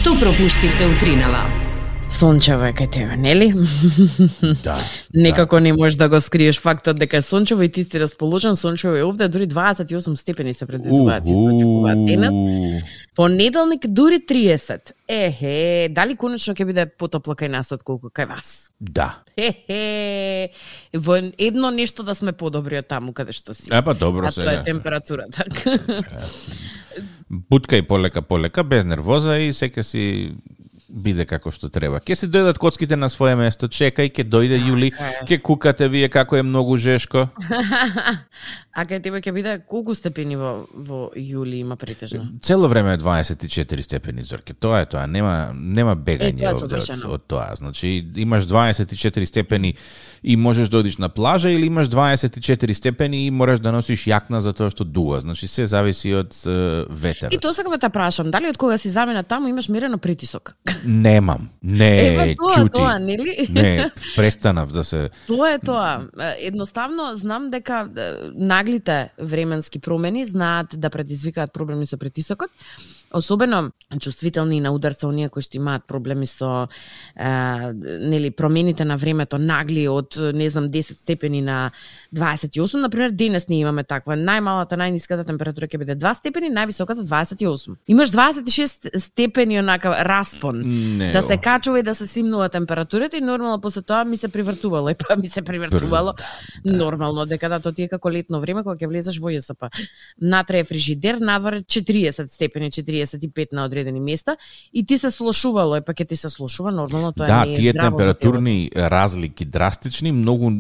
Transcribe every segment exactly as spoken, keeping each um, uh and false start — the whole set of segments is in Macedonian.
Што пропуштивте утринава? Сончево е кај тебе, нели? Да. Некако не можеш да го скриеш фактот дека е сончево и ти си расположен. Сончево е овде, дури дваесет и осум степени се предвидуваат, источекуваат денес. Понеделник дури триесет. Ехе, дали конечно ќе биде потопло кај нас од колку кај вас? Да. Хе-хе. Во едно нешто да сме подобри од таму каде што си. Епа добро а сега. тоа е температурата. Буткај полека полека, без нервоза и сека си биде како што треба. Ке се дојдат коцките на свое место, чекај, ке дојде Јули, ке кукате вие како е многу жешко. А кај тебе ќе биде колку степени во, во јули има претежно? Цело време е дваесет и четири степени, Зорке. Тоа е тоа, нема нема бегање е, од, од, од тоа. Значи имаш дваесет и четири степени и можеш да одиш на плажа или имаш дваесет и четири степени и мораш да носиш јакна затоа што дува. Значи се зависи од uh, ветерот. И тоа сакам да те прашам, дали од кога си замена таму имаш мерено притисок? Немам. Не, Ева тоа, чути. тоа, нели? Не, престанав да се... Тоа е тоа. Едноставно знам дека наглите временски промени знаат да предизвикаат проблеми со притисокот. Особено чувствителни на удар се оние кои што имаат проблеми со е, нели промените на времето нагли од не знам десет степени на дваесет и осум, например денес ние имаме таква. Најмалата, најниската температура ќе биде два степени, највисоката дваесет и осум. Имаш дваесет и шест степени онака распон. Не, да се качува и да се симнува температурата и нормално после тоа ми се привртувало, и па ми се привртувало да, нормално дека да, тоа ти е како летно време кога ќе влезеш во ЈСП. Натре е фрижидер, надвор четириесет степени, четириесет и пет на одредени места и ти се слошувало, е па ќе ти се слошува нормално, тоа да, не е тие здраво температурни разлики драстични многу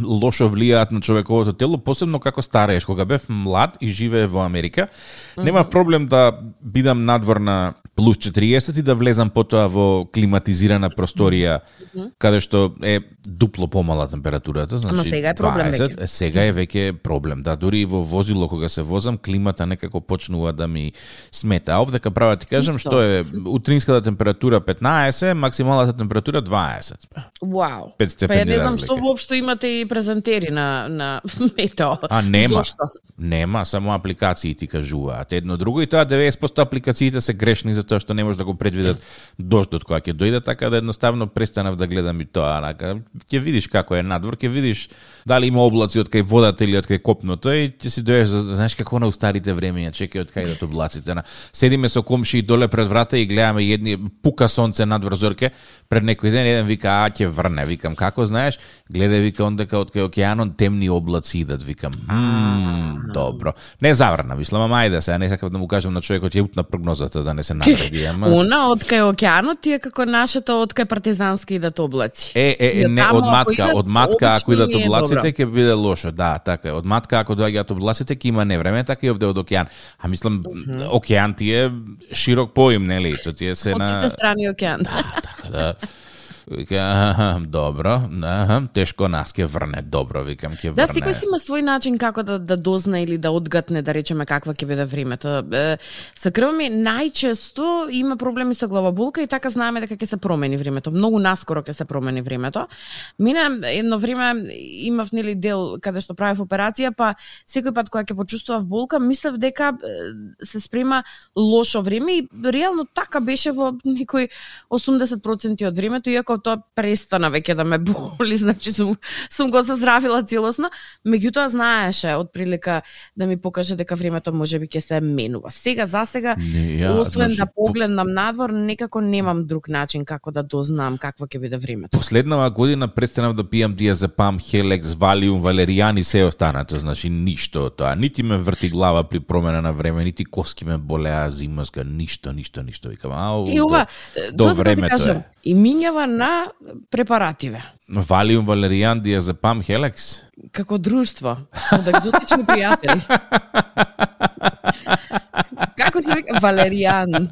лошо влијаат на човековото тело, посебно како старееш. Кога бев млад и живее во Америка, mm-hmm. немав проблем да бидам надвор на плюс четириесет и да влезам потоа во климатизирана просторија, mm-hmm. каде што е дупло помала температурата, значи Ама сега е проблем дваесет, веќе. Сега е веќе проблем. Да, дури и во возило кога се возам, климата некако почнува да ми смета. А овдека права ти кажам Исто. што е утринската температура петнаесет, максималната температура дваесет. Вау. пет степени Па ја не знам разлика. што воопшто имате и презентери на на метео. А нема. Зошто? Нема, само апликации ти кажуваат. Едно друго и тоа деветдесет проценти апликациите се грешни затоа што не може да го предвидат дождот кога ќе дојде, така да едноставно престанав да гледам и тоа. Анака, ќе видиш како е надвор, ќе видиш дали има облаци од кај водата или од кај копното и ќе си дојдеш, знаеш како на устарите времења, чекај од кај да облаците. На седиме со комши доле пред врата и гледаме едни пука сонце надвор, Зорке. Пред некој ден еден вика а ќе врне, викам како знаеш? Гледај, вика ондека од кај океанот темни облаци идат, викам. Мм, добро. Не заврна, мислам, ама ајде се, не сакав да му кажам на човекот ја утна прогнозата да не се навреди, ама Она од кај океанот ти е како нашето од кај партизански идат облаци. Е, е, е, И не, таму, од ако матка, идат, од матка ако обично идат не е облаците добро. ќе биде лошо, да, така е. Од матка ако доаѓаат облаците ќе има невреме, така и овде од океан. А мислам океан ти е широк поим, нели? Тоа ти е се Од на сите страни океан. така да. Вика, аха, добро, аха, тешко нас ќе врне, добро, викам, ќе врне. Да, секој си има свој начин како да, да дозна или да одгатне, да речеме, каква ќе биде времето. Е, Со крвот ми најчесто има проблеми со главоболка и така знаеме дека ќе се промени времето. Многу наскоро ќе се промени времето. Мене едно време имав нели дел каде што правев операција, па секој пат кога ќе почувствував болка, мислев дека е, се спрема лошо време и реално така беше во некој осумдесет проценти од времето, иако тоа престана веќе да ме боли, значи сум, сум го заздравила целосно, меѓутоа знаеше од прилика да ми покаже дека времето можеби ќе се менува. Сега за сега, Не, ја, освен значи, да погледнам надвор, некако немам друг начин како да дознам какво ќе биде времето. Последнава година престанав да пијам диазепам, хелекс, валиум, валеријан и се останато, значи ништо од тоа. Нити ме врти глава при промена на време, нити коски ме болеа зимска, ништо, ништо, ништо. Викам, ау, И ова, до тоа сакам да ти времето кажам, е. и минјава на препаративе. Валиум, валеријан, диазепам, хелекс. Како друштво, од екзотични пријатели. Како се вика? Валеријан.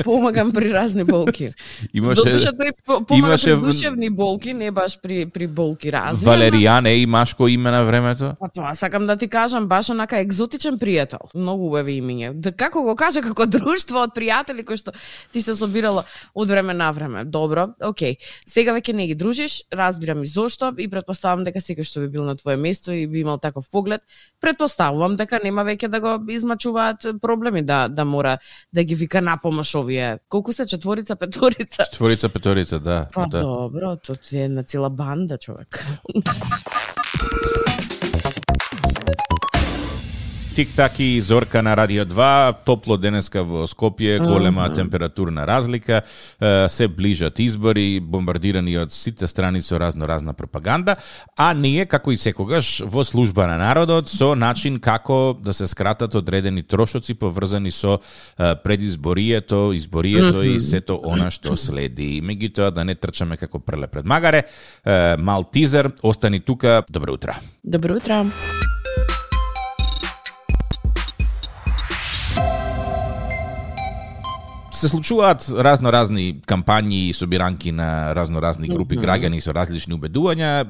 Помагам при разни болки. Имаше Додуша тој по- помага имаше при душевни болки, не баш при при болки разни. Валеријан е и машко име на времето. Па тоа сакам да ти кажам, баш онака екзотичен пријател. Многу убави имиња. Да, како го кажа, како друштво од пријатели кои што ти се собирало од време на време. Добро, окей. Сега веќе не ги дружиш, разбирам и зошто и претпоставам дека секој што би бил на твое место и би имал таков поглед, претпоставувам дека нема веќе да го измачуваат проблеми да да да мора да ги вика напомаш овие. Колку се четворица, петорица? Четворица, петорица, да. Па да. добро, тоа е една цела банда, човек. Тик-так и Зорка на Радио два, топло денеска во Скопје, голема mm-hmm. температурна разлика, се ближат избори, бомбардирани од сите страни со разно-разна пропаганда, а ние, како и секогаш, во служба на народот, со начин како да се скратат одредени трошоци поврзани со предизборието, изборието mm-hmm. и сето она што следи. Меѓутоа, да не трчаме како преле пред магаре, мал тизер, остани тука, добро утро. Добро утро. Се случуваат разно-разни кампањи и собиранки на разно-разни групи mm-hmm. граѓани со различни убедувања,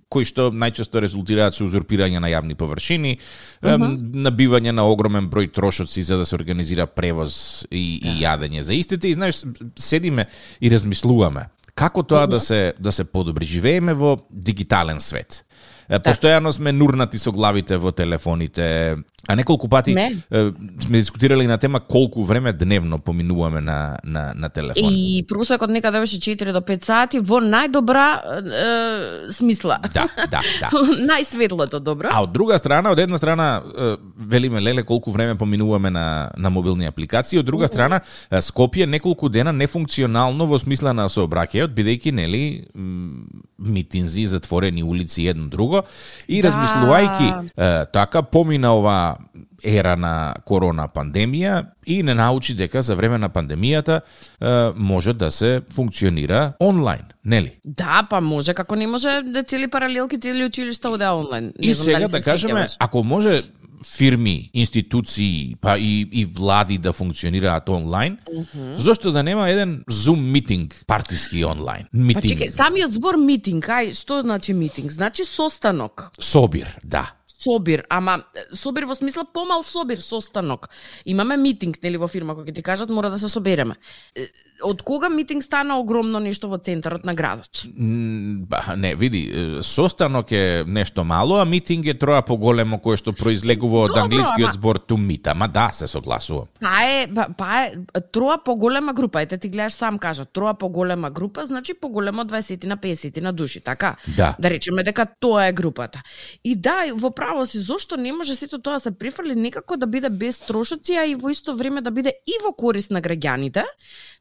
кои што најчесто резултираат со узурпирање на јавни површини, mm-hmm. набивање на огромен број трошоци за да се организира превоз и, и јадење за истите. И знаеш, седиме и размислуваме како тоа mm-hmm. да се да се подобри. Живееме во дигитален свет. Постојано сме нурнати со главите во телефоните, а неколку пати е, сме дискутирали на тема колку време дневно поминуваме на, на, на телефон. И просекот некаде беше четири до пет сати во најдобра е, смисла. Да, да, да. Најсветлото добро. А од друга страна, од една страна, е, велиме леле колку време поминуваме на, на мобилни апликации, од друга страна, Скопје неколку дена нефункционално во смисла на сообраќајот, бидејќи нели митинзи, затворени улици едно друго, и да. Размислувајќи е, така помина ова ера на корона пандемија и не научи дека за време на пандемијата е, може да се функционира онлайн, нели? Да, па може, како не може да цели паралелки, цели училишта оде онлайн. Не и знам сега дали да кажеме, ако може фирми, институции, па и, и влади да функционираат онлайн, mm-hmm. зошто да нема еден Zoom митинг партиски онлайн? Митинг. Па чекај, самиот збор митинг, ај, што значи митинг? Значи состанок. Собир, да. Собир, ама собир во смисла помал собир, состанок. Имаме митинг, нели, во фирма, кој ќе ти кажат мора да се собереме. Од кога митинг стана огромно нешто во центарот на градот? Ба, не, види, состанок е нешто мало, а митинг е троа поголемо кое што произлегува од англискиот збор to meet, ама да, се согласувам. Па е, па, па е троа поголема група, ете ти гледаш сам кажа, троа поголема група, значи поголемо од дваесет на песет на души, така? Да. Да речеме дека тоа е групата. И да, во право си, зошто не може сето тоа се префрли некако да биде без трошоци, а и во исто време да биде и во корист на граѓаните,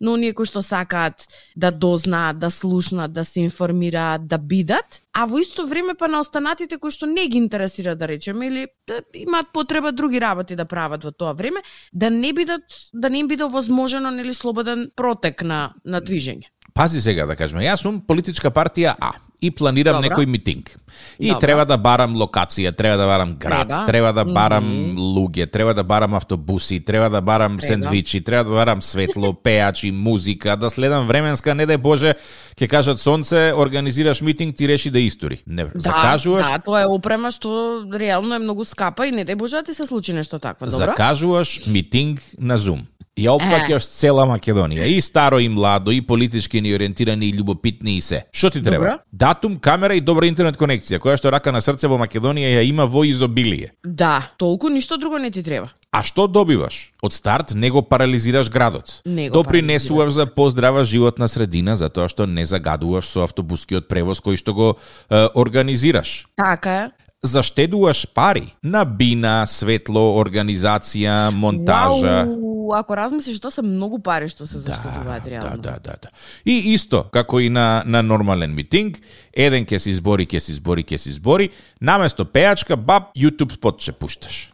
но оние кои што сакаат да дознаат, да слушнат, да се информираат, да бидат, а во исто време па на останатите кои што не ги интересира, да речеме, или да имаат потреба други работи да прават во тоа време, да не бидат, да не им биде овозможено, нели, слободен протек на на движење. Пази сега да кажеме, јас сум политичка партија А и планирам Добро. некој митинг. И Добро. треба да барам локација, треба да барам град, треба, треба да барам mm-hmm. луѓе, треба да барам автобуси, треба да барам треба. сендвичи, треба да барам светло, пеачи, музика, да следам временска, не дај Боже, ќе кажат сонце, организираш митинг, ти реши да истори. Не, да, закажуваш. Да, тоа е опрема што реално е многу скапа и не дај Боже да ти се случи нешто такво, добро? Закажуваш митинг на Zoom. Ја опфаќаш цела Македонија, и старо и младо, и политички неориентирани, и љубопитни и се. Што ти треба? Добро. Датум, камера и добра интернет конекција, која што рака на срце во Македонија ја има во изобилие. Да, толку ништо друго не ти треба. А што добиваш? Од старт не го парализираш градот. Не го Допринесуваш за поздрава животна средина затоа што не загадуваш со автобускиот превоз кој што го е, организираш. Така е. Заштедуваш пари на бина, светло, организација, монтажа. Вау, ако размислиш, тоа се многу пари што се заштедуваат да, реално. Да, да, да, да. И исто, како и на, на нормален митинг, еден ќе се избори, ќе се избори, ќе се избори, наместо пеачка, баб, YouTube спот ќе пушташ.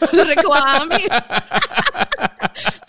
Реклами.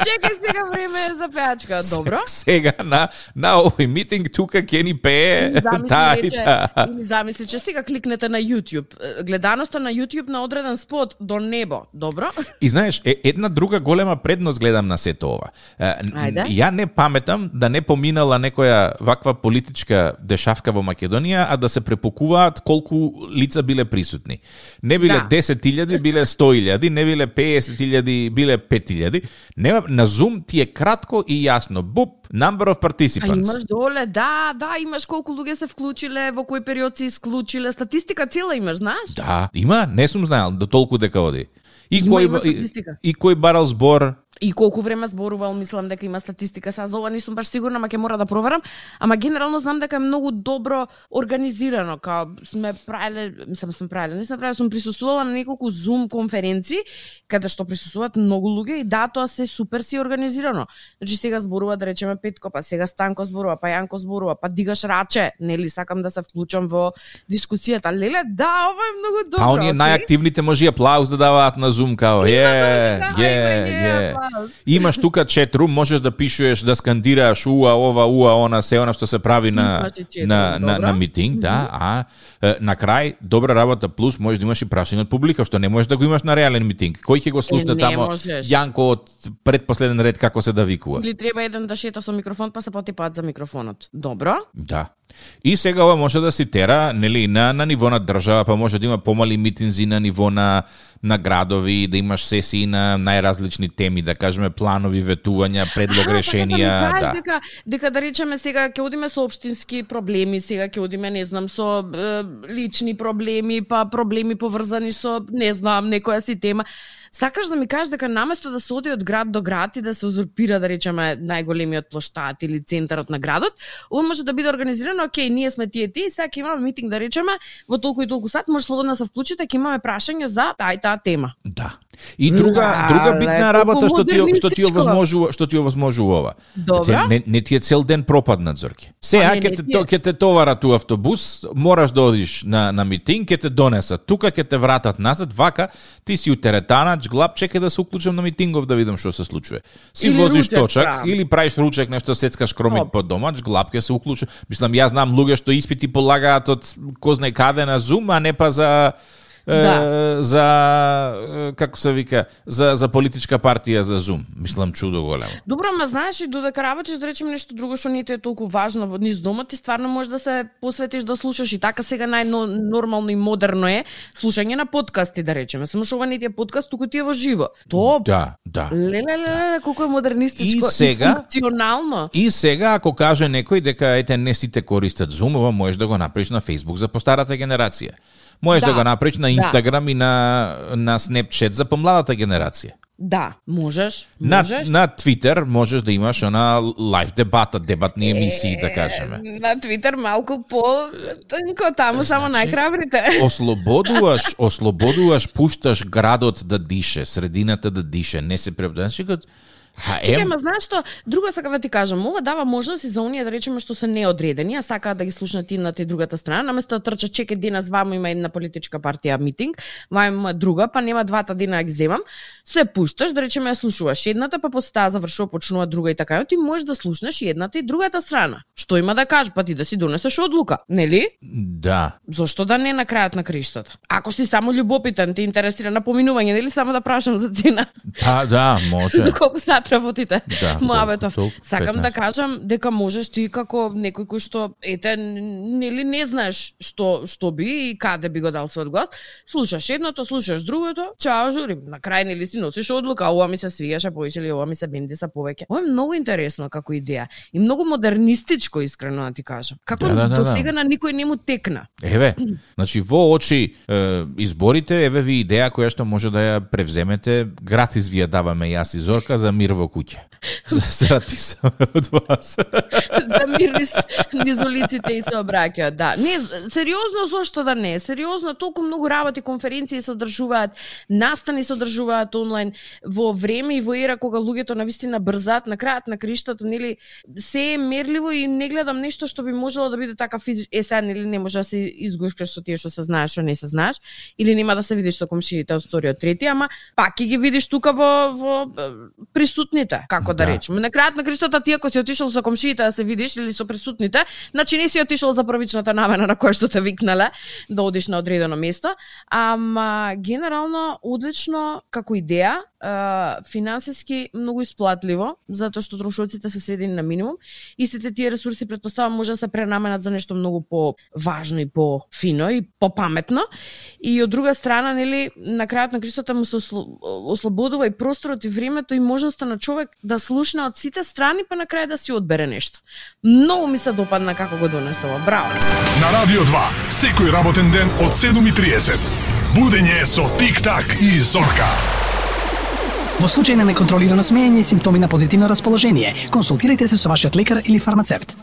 Чекај, сега време е за пеачка, добро? Сега на на овој митинг тука ќе ни пее та и та. Или замисли, че сега кликнете на YouTube. Гледаноста на YouTube на одреден спот до небо, добро? И знаеш, е, една друга голема предност гледам на сето ова. Ајде. Ја не паметам да не поминала некоја ваква политичка дешавка во Македонија, а да се препокуваат колку лица биле присутни. Не биле да. десет илјади, биле сто илјади, не биле песет илјади, биле пет илјади. Нема, на Zoom ти е кратко и јасно. Буп, number of participants. А имаш доле, да, да, имаш колку луѓе се вклучиле, во кој период се исклучиле, статистика цела имаш, знаеш? Да, има, не сум знаел до толку дека оди. И Има, кој има и, статистика. и кој барал збор. И колку време зборувал, мислам дека има статистика. Сега за ова не сум баш сигурна, ама ќе мора да проверам. Ама генерално знам дека е многу добро организирано. Као сме правеле, мислам сме правеле, не сме правеле, сум присуствувала на неколку Zoom конференции каде што присуствуваат многу луѓе и да, тоа се супер си организирано. Значи сега зборува да речеме Петко, па сега Станко зборува, па Јанко зборува, па дигаш раче, нели сакам да се вклучам во дискусијата. Леле, да, ова е многу добро. Па оние најактивните може и аплауз да даваат на Zoom као. Е, е, е. Имаш тука четрум, можеш да пишеш, да скандираш уа, ова, уа, она, се она што се прави на на, на, на митинг, mm-hmm. да, а е, на крај добра работа плюс можеш да имаш и прашање од публика, што не можеш да го имаш на реален митинг. Кој ќе го слушне тамо Јанко од предпоследен ред како се да викува? Или треба еден да шета со микрофон, па се потипаат за микрофонот. Добро? Да. И сега ова може да се тера, нели, на на ниво на држава, па може да има помали митинзи на ниво на на градови, да имаш сесии на најразлични теми, да кажеме планови, ветувања, предлог, а, решенија, да. Да. Дека, дека да речеме сега ќе одиме со општински проблеми, сега ќе одиме, не знам, со е, лични проблеми, па проблеми поврзани со, не знам, некоја си тема. Сакаш да ми кажеш дека наместо да се оди од град до град и да се узурпира, да речеме, најголемиот плоштад или центарот на градот, ова може да биде организирано, окей, ние сме тие ти, сега ќе имаме митинг, да речеме, во толку и толку сат, може слободно да се вклучите, ќе имаме прашање за таа и таа тема. Да. И друга да, друга битна работа што ти што ти овозможува, што ти овозможува ова. Добра. Не, не ти е цел ден пропаднат, Зорке. Сега ќе те ќе те товарат у автобус, мораш да одиш на на митинг, ќе те донесат. Тука ќе те вратат назад, вака ти си у теретана, глап, чекај да се уклучам на митингов да видам што се случува. Си или возиш ручек, точак прав. Или правиш ручек, нешто сецкаш кромит под дома, глап ќе се уклучи. Мислам, јас знам луѓе што испити полагаат од кој знае каде на Zoom, а не па за Да. за како се вика за за политичка партија за Zoom. Мислам чудо големо. Добро, ама знаеш и додека работиш, да речеме нешто друго што не ти е толку важно во низ домот, ти стварно можеш да се посветиш да слушаш и така сега најнормално и модерно е слушање на подкасти, да речеме. Само што ова не ти е подкаст, туку ти е во живо. Тоа Да, да. Леле, леле, колку е модернистичко и, сега, и функционално. И сега ако каже некој дека ете не сите користат Zoom, ова можеш да го направиш на Facebook за постарата генерација. Можеш да, да го направиш на Инстаграм да. И на на Snapchat за помладата генерација. Да, можеш, можеш. На, на Twitter можеш да имаш она лайв дебата, дебатни емисии, е, да кажеме. На Twitter малку по тонко, таму значи, само најхрабрите. Ослободуваш, ослободуваш, пушташ градот да дише, средината да дише, не се преподнесеш. Чекај, ма знаеш што, друго сакам да ти кажам, ова дава можност и за оние да речеме што се неодредени, а сакаат да ги слушнат едната и другата страна, наместо да трчат чекај денес вамо има една политичка партија митинг, вамо има друга, па нема двата дена да ги земам, се пушташ, да речеме ја слушуваш едната, па после таа завршува почнува друга и така, ти можеш да слушнеш и едната и другата страна. Што има да кажеш, па ти да си донесеш одлука, нели? Да. Зошто да не на крајот на криштата? Ако си само љубопитен, те интересира на поминување, нели само да прашам за цена? Па да, може. Доколку сат работите? Да, Муабетов. Сакам да кажам дека можеш ти како некој кој што ете нели не знаеш што што би и каде би го дал својот глас, слушаш едното, слушаш другото, чао журим. На крај нели си носиш одлука, ова ми се свиеше повеќе или ова ми се бенди са повеќе. Ова е многу интересно како идеја и многу модернистичко, искрено да ти кажам. Како да, да, да, до да. сега на никој не му текна. Еве, значи во очи е, изборите, еве ви идеја која што може да ја превземете, гратис ви ја даваме јас и Зорка за мир во куќа. Срати сам од вас. За мир низ, низ улиците и се обраќаат, да. Не, сериозно, зошто да не? Сериозно, толку многу работи, конференции се одржуваат, настани се одржуваат онлайн во време и во ера кога луѓето навистина брзаат, на крајот на криштата, нели, се е мерливо и не гледам нешто што би можело да биде така физичко. Е, сега, нели, не може да се изгушкаш со тие што се знаеш, што не се знаеш, или нема да се видиш со комшиите од вториот, трети, ама пак ќе ги видиш тука во, во присутните, како да, да речеме. На крајот на криштата ти ако си отишол со комшиите да се видиш или со присутните, значи не си отишол за првичната намена на која што те викнале да одиш на одредено место, ама генерално одлично како идеја, финансиски многу исплатливо, затоа што трошоците се сведени на минимум. Истите тие ресурси претпоставам може да се пренаменат за нешто многу по-важно и по-фино и по-паметно. И од друга страна, нели, на крајот на криштата му се ослободува и просторот и времето и можноста на човек да слушне од сите страни, па на крај да си одбере нешто. Многу ми се допадна како го донесува. Браво. На Радио два, секој работен ден од седум и триесет. Будење со Тик-так и Зорка. Во случај на неконтролирано смеење и симптоми на позитивно расположение, консултирайте се со вашиот лекар или фармацевт.